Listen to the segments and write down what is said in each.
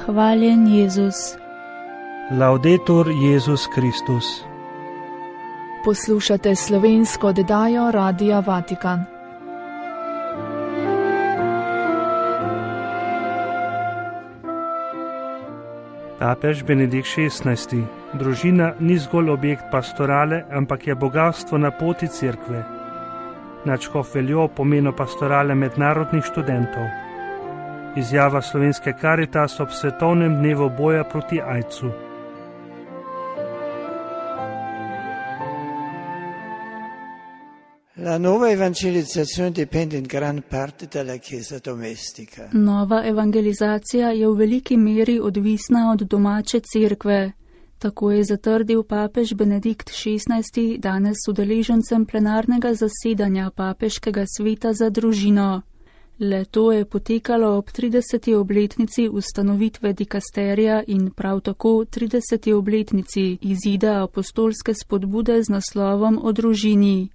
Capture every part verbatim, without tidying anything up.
Hvaljen Jezus. Laudetur Jezus Kristus. Poslušate slovensko oddajo Radia Vatikan. Papež Benedikt šestnajsti. Družina ni zgolj objekt pastorale, ampak je bogatstvo na poti cerkve. Nadškof Veljo pomenu pastorale mednarodnih študentov. Izjava slovenske Karitas ob svetovnem dnevu boja proti aidsu. La nuova evangelizzazione dipende in gran parte dalla Chiesa domestica. Nova evangelizacija je v veliki meri odvisna od domače cerkve. Tako je zatrdil papež Benedikt šestnajsti danes udeležencem plenarnega zasedanja Papeškega sveta za družino. Le to je potekalo ob trideseti obletnici ustanovitve dikasterija in prav tako trideseti obletnici izida apostolske spodbude z naslovom o družini.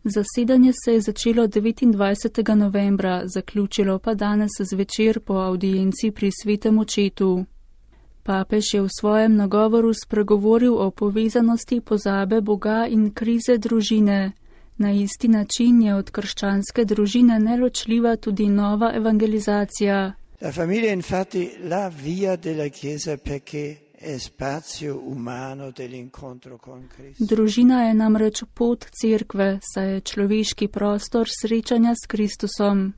Zasedanje se je začelo devetindvajsetega novembra, zaključilo pa danes zvečer po avdienci pri svetem očetu. Papež je v svojem nagovoru spregovoril o povezanosti pozabe Boga in krize družine. Na isti način je od krščanske družine neločljiva tudi nova evangelizacija. La famiglia è infatti la via della Chiesa perché è spazio umano dell'incontro con Cristo. Družina je namreč pot cerkve, saj je človeški prostor srečanja s Kristusom.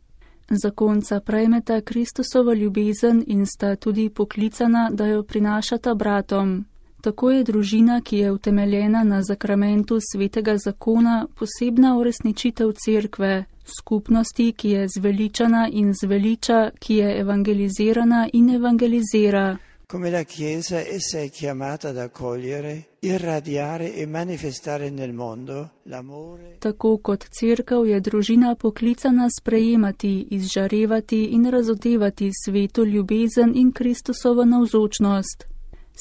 Zakonca prejmeta Kristusovo ljubezen in sta tudi poklicana, da jo prinašata bratom. Tako je družina, ki je utemeljena na zakramentu svetega zakona, posebna uresničitev cerkve, skupnosti, ki je zveličana in zveliča, ki je evangelizirana in evangelizira. Come la Chiesa, essa è chiamata ad accogliere, irradiare e manifestare nel mondo l'amore. Tako kot cerkev je družina poklicana sprejemati, izžarevati in razodevati svetu ljubezen in Kristusovo navzočnost.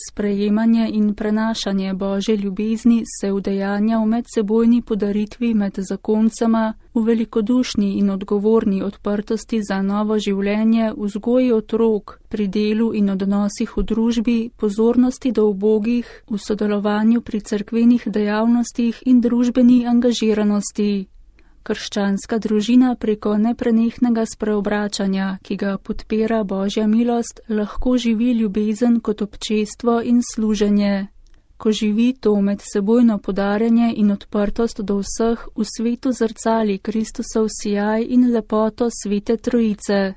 Sprejemanje in prenašanje Božje ljubezni se udejanja v medsebojni podaritvi med zakoncema, v velikodušni in odgovorni odprtosti za novo življenje, vzgoji otrok, pri delu in odnosih v družbi, pozornosti do ubogih, v sodelovanju pri cerkvenih dejavnostih in družbeni angažiranosti. Krščanska družina preko neprenehnega spreobračanja, ki ga podpira Božja milost, lahko živi ljubezen kot občestvo in služenje. Ko živi to medsebojno podarjanje in odprtost do vseh, v svetu zrcali Kristusov sijaj in lepoto svete trojice.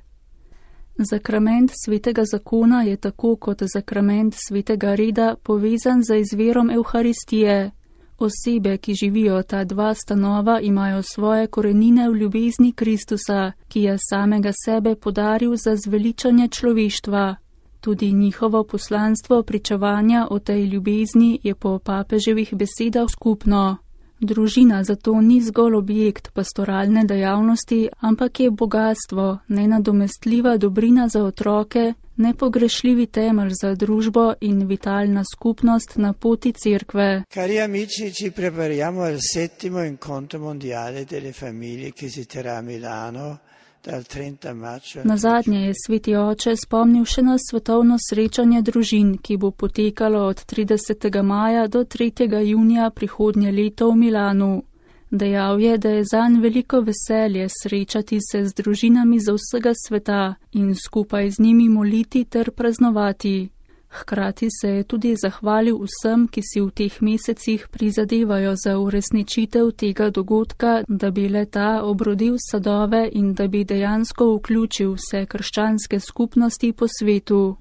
Zakrament svetega zakona je tako kot zakrament svetega reda povezan z izvirom Evharistije. Osebe, ki živijo ta dva stanova, imajo svoje korenine v ljubezni Kristusa, ki je samega sebe podaril za zveličanje človeštva. Tudi njihovo poslanstvo pričevanja o tej ljubezni je po papeževih besedah skupno. Družina zato ni zgolj objekt pastoralne dejavnosti, ampak je bogatstvo, nenadomestljiva dobrina za otroke, nepogrešljivi temelj za družbo in vitalna skupnost na poti cerkve. Cari amici, ci prepariamo al settimo incontro mondiale delle famiglie che si terrà a Milano dal trenta maggio. Nazadnje je sveti oče spomnil še na svetovno srečanje družin, ki bo potekalo od tridesetega maja do tretjega junija prihodnje leto v Milanu. Dejal je, da je zanj veliko veselje srečati se z družinami za vsega sveta in skupaj z njimi moliti ter praznovati. Hkrati se je tudi zahvalil vsem, ki si v teh mesecih prizadevajo za uresničitev tega dogodka, da bi le-ta obrodil sadove in da bi dejansko vključil vse krščanske skupnosti po svetu.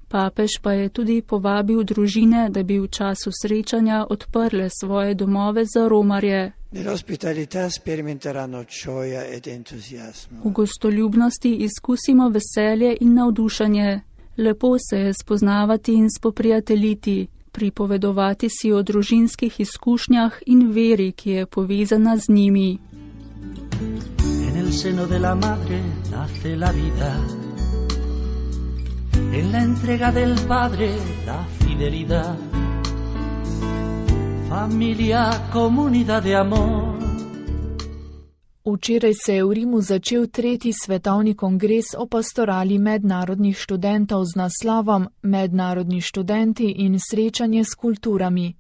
Papež pa je tudi povabil družine, da bi v času srečanja odprle svoje domove za romarje. V gostoljubnosti izkusimo veselje in navdušenje. Lepo se je spoznavati in spoprijateljiti, pripovedovati si o družinskih izkušnjah in veri, ki je povezana z njimi. En el seno de la madre nace la vida. En la entrega del padre la fidelidad. Familia, comunidad de amor. Včeraj se je v Rimu začel tretji svetovni kongres o pastorali mednarodnih študentov z naslovom Mednarodni študenti in srečanje s kulturami.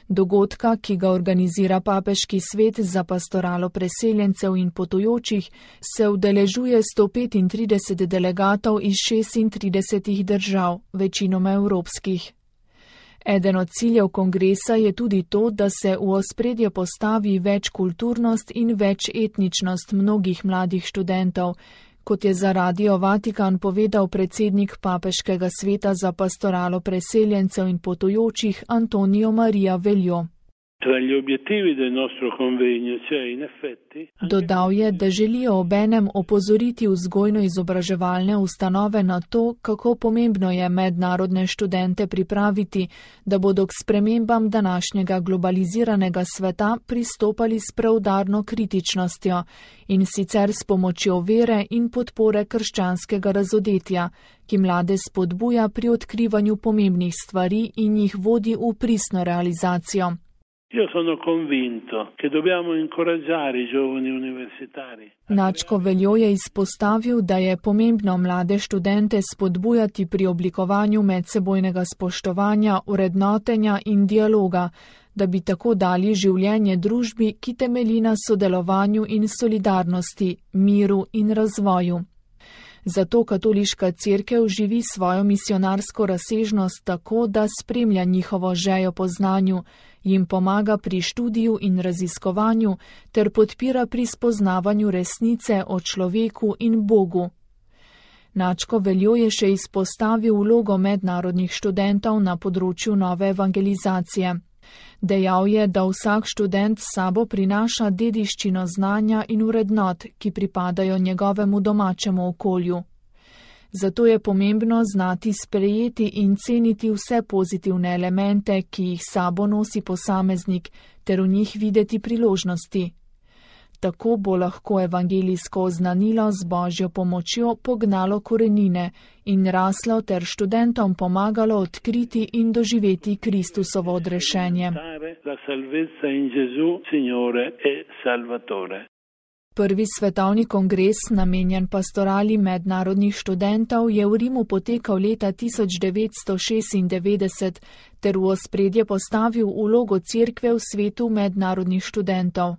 Dogodka, ki ga organizira Papeški svet za pastoralo preseljencev in potujočih, se udeležuje sto petintrideset delegatov iz šestintridesetih držav, večinoma evropskih. Eden od ciljev kongresa je tudi to, da se v ospredje postavi večkulturnost in večetničnost mnogih mladih študentov, kot je za Radio Vatikan povedal predsednik Papeškega sveta za pastoralo preseljencev in potujočih Antonio Maria Veljo. Dodal je, da želijo obenem opozoriti vzgojno-izobraževalne ustanove na to, kako pomembno je mednarodne študente pripraviti, da bodo k spremembam današnjega globaliziranega sveta pristopali s preudarno kritičnostjo in sicer s pomočjo vere in podpore krščanskega razodetja, ki mlade spodbuja pri odkrivanju pomembnih stvari in jih vodi v pristno realizacijo. Io sono convinto che dobbiamo incoraggiare i giovani universitari. Načko Veljo je izpostavil, da je pomembno mlade študente spodbujati pri oblikovanju medsebojnega spoštovanja, vrednotenja in dialoga, da bi tako dali življenje družbi, ki temelji na sodelovanju in solidarnosti, miru in razvoju. Zato katoliška cerkev živi svojo misionarsko razsežnost tako, da spremlja njihovo željo po znanju, jim pomaga pri študiju in raziskovanju ter podpira pri spoznavanju resnice o človeku in Bogu. Načko Veljo je še izpostavil vlogo mednarodnih študentov na področju nove evangelizacije. Dejal je, da vsak študent s sabo prinaša dediščino znanja in vrednot, ki pripadajo njegovemu domačemu okolju. Zato je pomembno znati sprejeti in ceniti vse pozitivne elemente, ki jih sabo nosi posameznik, ter v njih videti priložnosti. Tako bo lahko evangelijsko oznanilo z Božjo pomočjo pognalo korenine in raslo ter študentom pomagalo odkriti in doživeti Kristusovo odrešenje. Prvi svetovni kongres, namenjen pastorali mednarodnih študentov, je v Rimu potekal leta tisoč devetsto šestindevetdeset ter v ospredje postavil vlogo cerkve v svetu mednarodnih študentov.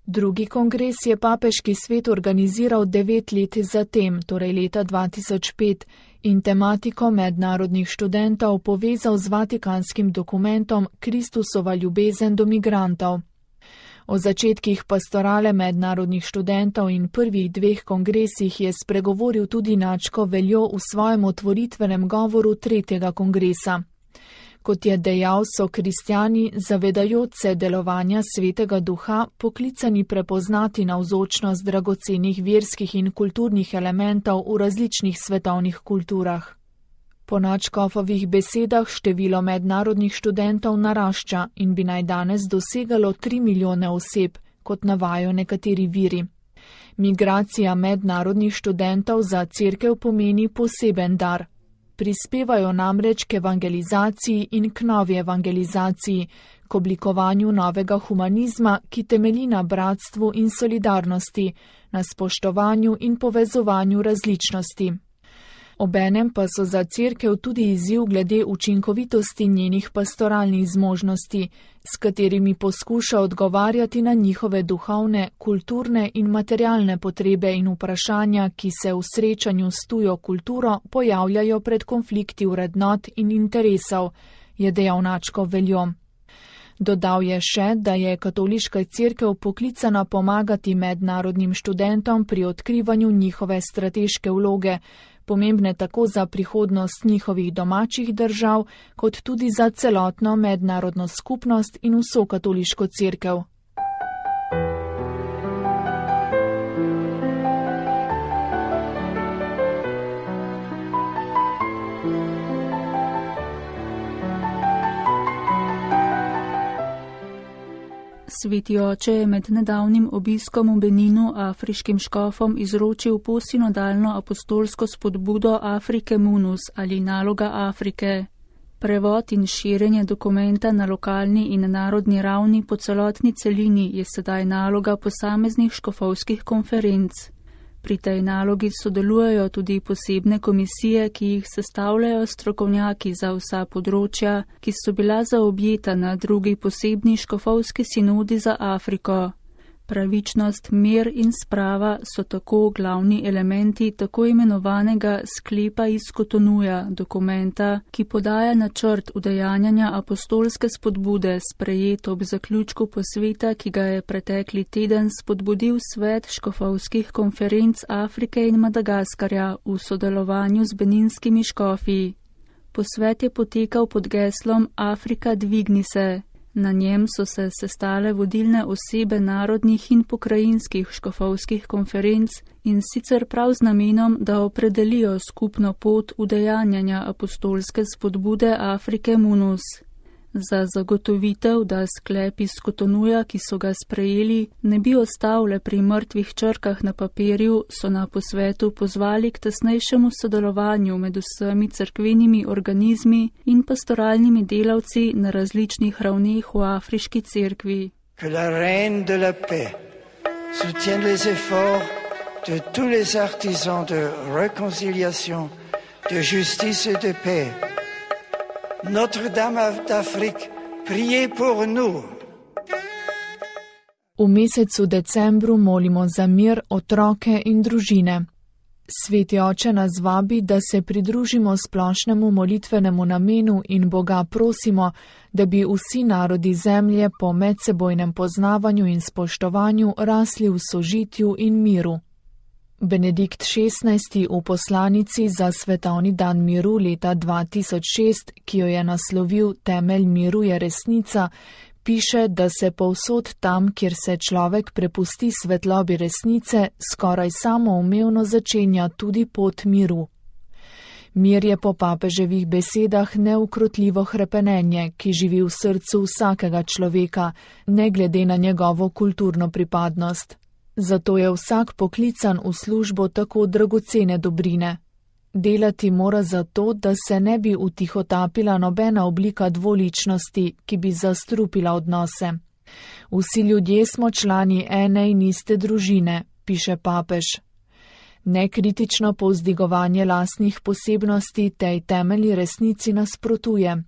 Drugi kongres je Papeški svet organiziral devet let zatem, torej leta dva tisoč pet, in tematiko mednarodnih študentov povezal z vatikanskim dokumentom Kristusova ljubezen do migrantov. O začetkih pastorale mednarodnih študentov in prvih dveh kongresih je spregovoril tudi Načko Veljo v svojem otvoritvenem govoru tretjega kongresa. Kot je dejal, so kristjani, zavedajoč se delovanja Svetega Duha, poklicani prepoznati navzočnost dragocenih verskih in kulturnih elementov v različnih svetovnih kulturah. Po Načkofovih besedah število mednarodnih študentov narašča in bi naj danes dosegalo tri milijone oseb, kot navajajo nekateri viri. Migracija mednarodnih študentov za cerkev pomeni poseben dar. Prispevajo namreč k evangelizaciji in k novi evangelizaciji, k oblikovanju novega humanizma, ki temelji na bratstvu in solidarnosti, na spoštovanju in povezovanju različnosti. Obenem pa so za cerkev tudi izziv glede učinkovitosti njenih pastoralnih zmožnosti, s katerimi poskuša odgovarjati na njihove duhovne, kulturne in materialne potrebe in vprašanja, ki se v srečanju s tujo kulturo pojavljajo pred konflikti vrednot in interesov, je dejal Načko Veljo. Dodal je še, da je katoliška cerkev poklicana pomagati mednarodnim študentom pri odkrivanju njihove strateške vloge, pomembne tako za prihodnost njihovih domačih držav, kot tudi za celotno mednarodno skupnost in vso katoliško cerkev. Sveti oče je med nedavnim obiskom v Beninu afriškim škofom izročil posinodalno apostolsko spodbudo Afrike Munus ali naloga Afrike. Prevod in širjenje dokumenta na lokalni in narodni ravni po celotni celini je sedaj naloga posameznih škofovskih konferenc. Pri tej nalogi sodelujejo tudi posebne komisije, ki jih sestavljajo strokovnjaki za vsa področja, ki so bila zaobjeta na drugi posebni škofovski sinodi za Afriko. Pravičnost, mir in sprava so tako glavni elementi tako imenovanega sklepa iz Kotonuja, dokumenta, ki podaja načrt udejanjanja apostolske spodbude, sprejet ob zaključku posveta, ki ga je pretekli teden spodbudil svet škofovskih konferenc Afrike in Madagaskarja v sodelovanju z beninskimi škofi. Posvet je potekal pod geslom Afrika dvigni se. Na njem so se sestale vodilne osebe narodnih in pokrajinskih škofovskih konferenc in sicer prav z namenom, da opredelijo skupno pot udejanjanja apostolske spodbude Afrike Munus. Za zagotovitev, da sklep iz Kotonuja, ki so ga sprejeli, ne bi ostal le pri mrtvih črkah na papirju, so na posvetu pozvali k tesnejšemu sodelovanju med vsemi cerkvenimi organizmi in pastoralnimi delavci na različnih ravneh v afriški cerkvi. Que la reine de la paix soutienne les efforts de tous les artisans de réconciliation, de justice et de paix. Notre-Dame d'Afrique, priez pour nous. V mesecu decembru molimo za mir, otroke in družine. Sveti oče nas vabi, da se pridružimo splošnemu molitvenemu namenu in Boga prosimo, da bi vsi narodi zemlje po medsebojnem poznavanju in spoštovanju rasli v sožitju in miru. Benedikt šestnajsti v poslanici za svetovni dan miru leta dva tisoč šest, ki jo je naslovil Temelj miru je resnica, piše, da se povsod tam, kjer se človek prepusti svetlobi resnice, skoraj samoumevno začenja tudi pot miru. Mir je po papeževih besedah neukrotljivo hrepenenje, ki živi v srcu vsakega človeka, ne glede na njegovo kulturno pripadnost. Zato je vsak poklican v službo tako dragocene dobrine. Delati mora zato, da se ne bi utihotapila nobena oblika dvoličnosti, ki bi zastrupila odnose. Vsi ljudje smo člani ene in iste družine, piše papež. Nekritično povzdigovanje lastnih posebnosti tej temeljni resnici nasprotuje.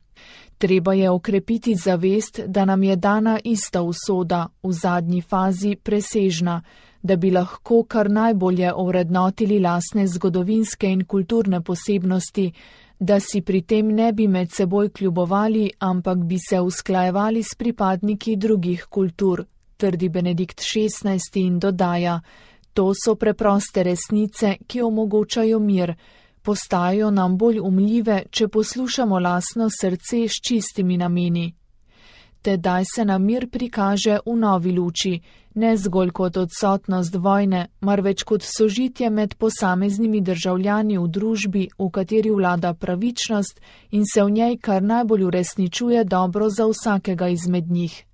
Treba je okrepiti zavest, da nam je dana ista usoda, v zadnji fazi presežna, da bi lahko kar najbolje ovrednotili lastne zgodovinske in kulturne posebnosti, da si pri tem ne bi med seboj kljubovali, ampak bi se usklajevali s pripadniki drugih kultur, trdi Benedikt šestnajsti in dodaja, to so preproste resnice, ki omogočajo mir, postajajo nam bolj umljive, če poslušamo lastno srce s čistimi nameni. Tedaj se nam mir prikaže v novi luči, ne zgolj kot odsotnost vojne, marveč kot sožitje med posameznimi državljani v družbi, v kateri vlada pravičnost in se v njej kar najbolj uresničuje dobro za vsakega izmed njih.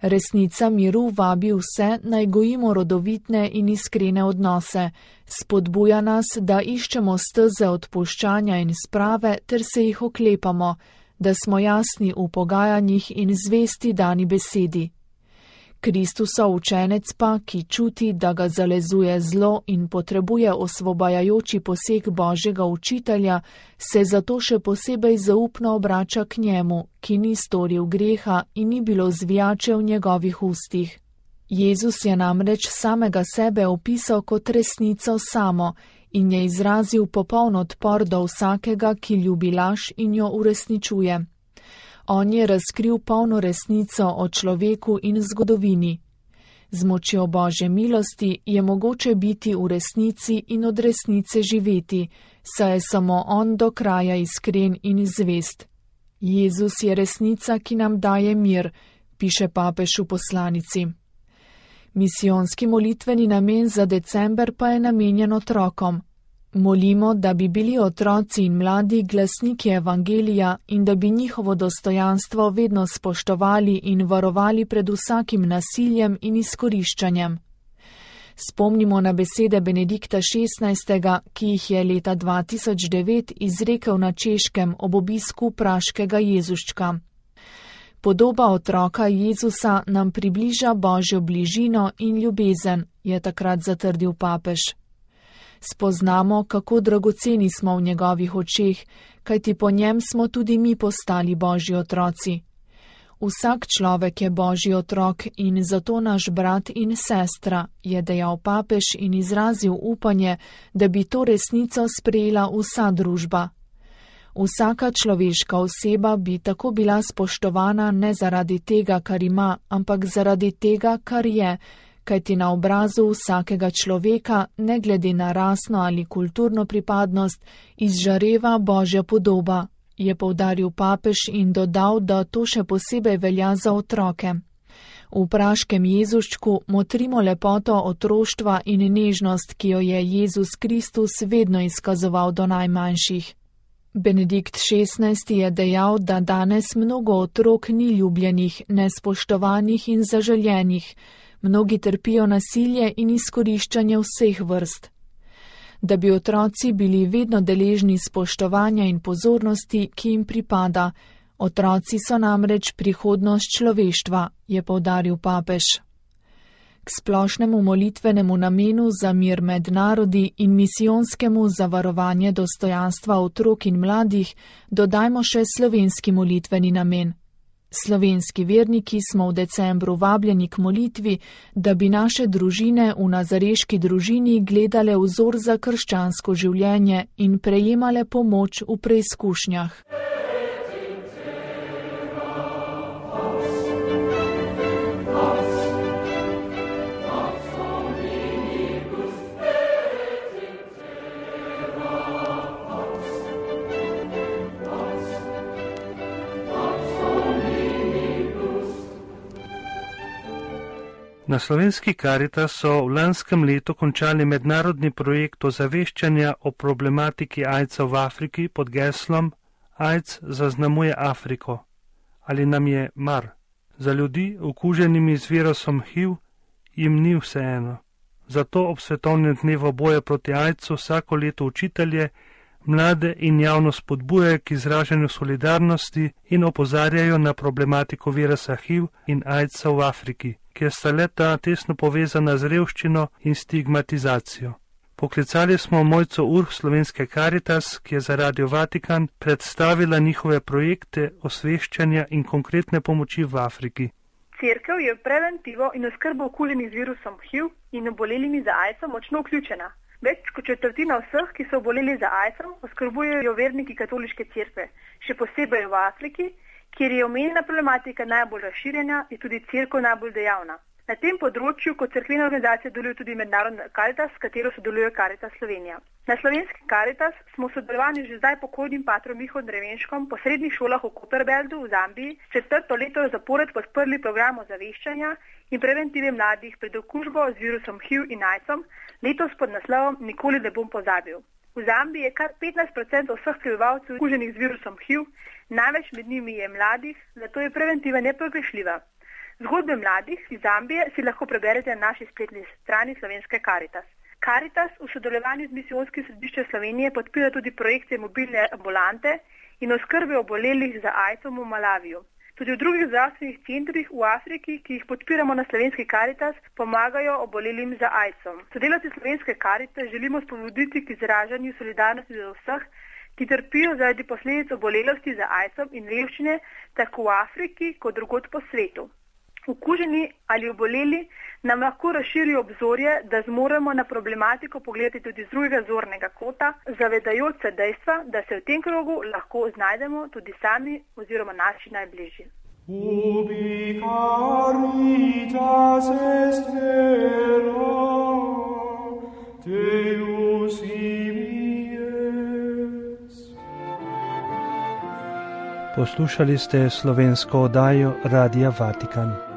Resnica miru vabi vse, naj gojimo rodovitne in iskrene odnose, spodbuja nas, da iščemo steze odpuščanja in sprave ter se jih oklepamo, da smo jasni v pogajanjih in zvesti dani besedi. Kristusov učenec pa, ki čuti, da ga zalezuje zlo in potrebuje osvobajajoči poseg Božjega učitelja, se zato še posebej zaupno obrača k njemu, ki ni storil greha in ni bilo zvijače v njegovih ustih. Jezus je namreč samega sebe opisal kot resnico samo in je izrazil popoln odpor do vsakega, ki ljubi laž in jo uresničuje. On je razkril polno resnico o človeku in zgodovini. Z močjo Božje milosti je mogoče biti v resnici in od resnice živeti, saj je samo on do kraja iskren in zvest. Jezus je resnica, ki nam daje mir, piše papež v poslanici. Misijonski molitveni namen za december pa je namenjen otrokom. Molimo, da bi bili otroci in mladi glasniki evangelija in da bi njihovo dostojanstvo vedno spoštovali in varovali pred vsakim nasiljem in izkoriščanjem. Spomnimo na besede Benedikta šestnajstega, ki jih je leta dva tisoč devet izrekel na Češkem ob obisku praškega Jezuščka. Podoba otroka Jezusa nam približa Božjo bližino in ljubezen, je takrat zatrdil papež. Spoznamo, kako dragoceni smo v njegovih očeh, kajti po njem smo tudi mi postali Božji otroci. Vsak človek je Božji otrok in zato naš brat in sestra, je dejal papež in izrazil upanje, da bi to resnico sprejela vsa družba. Vsaka človeška oseba bi tako bila spoštovana ne zaradi tega, kar ima, ampak zaradi tega, kar je, kajti na obrazu vsakega človeka, ne glede na rasno ali kulturno pripadnost, izžareva Božja podoba, je poudaril papež in dodal, da to še posebej velja za otroke. V praškem Jezuščku motrimo lepoto otroštva in nežnost, ki jo je Jezus Kristus vedno izkazoval do najmanjših. Benedikt šestnajsti je dejal, da danes mnogo otrok ni ljubljenih, nespoštovanih in zaželjenih. Mnogi trpijo nasilje in izkoriščanje vseh vrst. Da bi otroci bili vedno deležni spoštovanja in pozornosti, ki jim pripada. Otroci so namreč prihodnost človeštva, je poudaril papež. K splošnemu molitvenemu namenu za mir med narodi in misijonskemu za varovanje dostojanstva otrok in mladih dodajmo še slovenski molitveni namen. Slovenski verniki smo v decembru vabljeni k molitvi, da bi naše družine v nazareški družini gledale vzor za krščansko življenje in prejemale pomoč v preizkušnjah. Na slovenski Karitas so v lanskem letu končali mednarodni projekt ozaveščanja o problematiki aidsa v Afriki pod geslom AIDS zaznamuje Afriko. Ali nam je mar? Za ljudi, okuženimi z virusom H I V, jim ni vseeno. Zato ob svetovnem dnevu boja proti aidsu vsako leto učitelje, mlade in javno spodbujajo k izražanju solidarnosti in opozarjajo na problematiko virusa H I V in aidsa v Afriki, kjer sta leta tesno povezana z revščino in stigmatizacijo. Poklicali smo Mojco Urh slovenske Karitas, ki je za Radio Vatikan predstavila njihove projekte osveščanja in konkretne pomoči v Afriki. Cerkev je v preventivo in oskrbo okuženih z virusom H I V in obolelimi za aidsom močno vključena. Več kot četrtina vseh, ki so oboleli za aidsom, oskrbujejo verniki katoliške cerkve, še posebej v Afriki, kjer je omenjena problematika najbolj razširjena, je tudi cerkev najbolj dejavna. Na tem področju kot cerkvena organizacija deluje tudi mednarodna Karitas, s katero sodeluje Karitas Slovenija. Na slovenski Karitas smo v sodelovanju že zdaj pokojnim patrom Mihom Drevenškom po srednjih šolah v Copperbeldu v Zambiji četrto leto zapored podprli program ozaveščanja in preventive mladih pred okužbo z virusom H I V in aidsom, letos pod naslovom Nikoli ne bom pozabil. V Zambiji je kar petnajst procentov vseh prebivalcev okuženih z virusom H I V, največ med njimi je mladih, zato je preventiva nepogrešljiva. Zgodbe mladih iz Zambije si lahko preberete na naši spletni strani slovenske Karitas. Karitas v sodelovanju z Misijonskim središčem Slovenije podpira tudi projekte mobilne ambulante in oskrbe obolelih za aidsom v Malaviju. Tudi v drugih zdravstvenih centrih v Afriki, ki jih podpiramo na slovenski Karitas, pomagajo obolelim za aidsom. Sodelavci slovenske Karitas želimo spodbuditi k izražanju solidarnosti za vseh, ki trpijo zaradi posledic obolelosti za aidsom in revščine tako v Afriki kot drugod po svetu. Okuženi ali oboleli nam lahko razširijo obzorje, da zmoremo na problematiko pogledati tudi z drugega zornega kota, zavedajoč se dejstva, da se v tem krogu lahko znajdemo tudi sami oziroma naši najbližji. Ubi caritas est vera, Deus imies. Poslušali ste slovensko oddajo Radia Vatikan.